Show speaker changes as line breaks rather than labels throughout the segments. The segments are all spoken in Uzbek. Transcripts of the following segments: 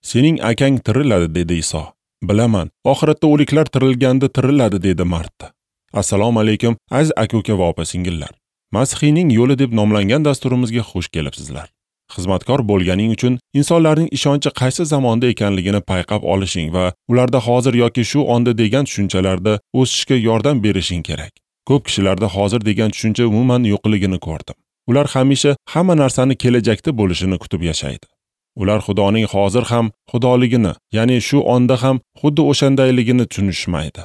Sening akang tiriladi, dedi Iso. Bilaman, oxiratda o'liklar tirilganda tiriladi, dedi Marta. Assalomu alaykum, aziz aka-uka va opa-singillar. Masihiyning yo'li deb nomlangan dasturimizga xush kelibsizlar. Xizmatkor bo'lganing uchun insonlarning ishonchi qaysi zamonda ekanligini payqab olishing va ularda hozir yoki shu onda degan tushunchalarda o'sishga yordam berishing kerak. Ko'p kishilarda hozir degan tushuncha umuman yo'qligini ko'rdim. Ular hamisha hamma narsani kelajakda bo'lishini kutib yashaydi. Ular Xudoning hozir ham xudoligini, ya'ni shu onda ham xuddi o'shandayligini tushunishmaydi.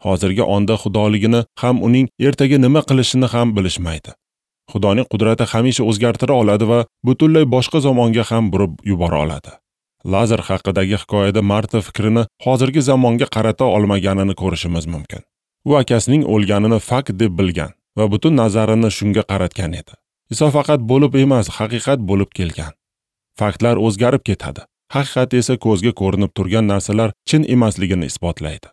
Hozirgi onda xudoligini ham uning ertaga nima qilishini ham bilishmaydi. Xudoning qudrati hamisha o'zgartira oladi va butunlay boshqa zamonga ham burib yubora oladi. Lazar haqidagi hikoyada Marta fikrini hozirgi zamonga qarata olmaganini ko'rishimiz mumkin. U akasining o'lganini fakt deb bilgan va butun nazarini shunga qaratgan edi. Iso faqat bo'lib emas, haqiqat bo'lib kelgan. Faktlar o'zgarib ketadi. Haqiqat esa ko'zga ko'rinib turgan narsalar chin emasligini isbotlaydi.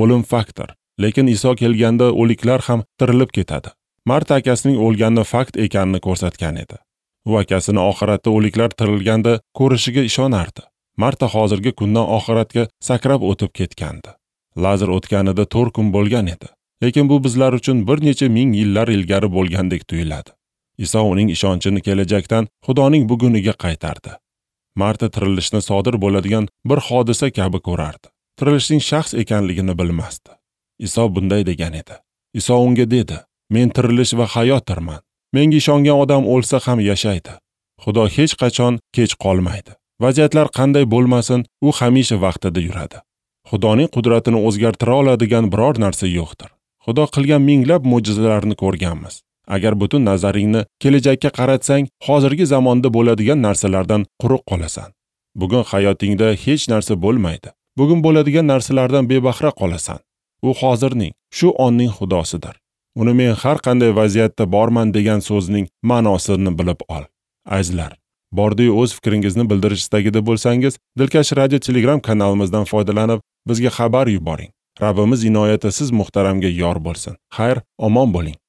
O'lim faktdir, lekin Iso kelganda o'liklar ham tirilib ketadi. Marta akasining o'lganini fakt ekanini ko'rsatgan edi. U akasini oxiratda o'liklar tirilganda ko'rishiga ishonardi. Marta hozirgi kundan oxiratga sakrab o'tib ketgandi. Lazar o'tganida 4 kun bo'lgan edi. Lekin bu bizlar uchun bir necha ming yillar ilgari bo'lgandek tuyuladi. Iso uning ishonchini kelajakdan Xudoning buguniga qaytardi. Marta tirilishni sodir bo'ladigan bir hodisa kabi ko'rardi. Tirilishning shaxs ekanligini bilmasdi. Iso bunday degan edi. Iso unga dedi: "Men tirilish va hayotdirman. Menga ishongan odam o'lsa ham yashaydi." Xudo hech qachon kech qolmaydi. Vaziyatlar qanday bo'lmasin, u hamisha vaqtida yuradi. Xudoning qudratini o'zgartira oladigan biror narsa yo'qdir. Xudo qilgan minglab mo'jizalarni ko'rganmiz. Agar butun nazaringni kelajakka qaratsang, hozirgi zamonda bo'ladigan narsalardan quruq qolasan. Bugun hayotingda hech narsa bo'lmaydi. Bugun bo'ladigan narsalardan bebahra qolasan. U hozirning, shu onning Xudosidir. Uni men har qanday vaziyatda borman degan so'zning ma'nosini bilib ol. Azizlar, bordiyu o'z fikringizni bildirish istagida bo'lsangiz, Dilkash radio Telegram kanalimizdan foydalanib, bizga xabar yuboring. Rabbimiz inoyati siz muhtaramga yor bo'lsin. Xayr, omon bo'ling.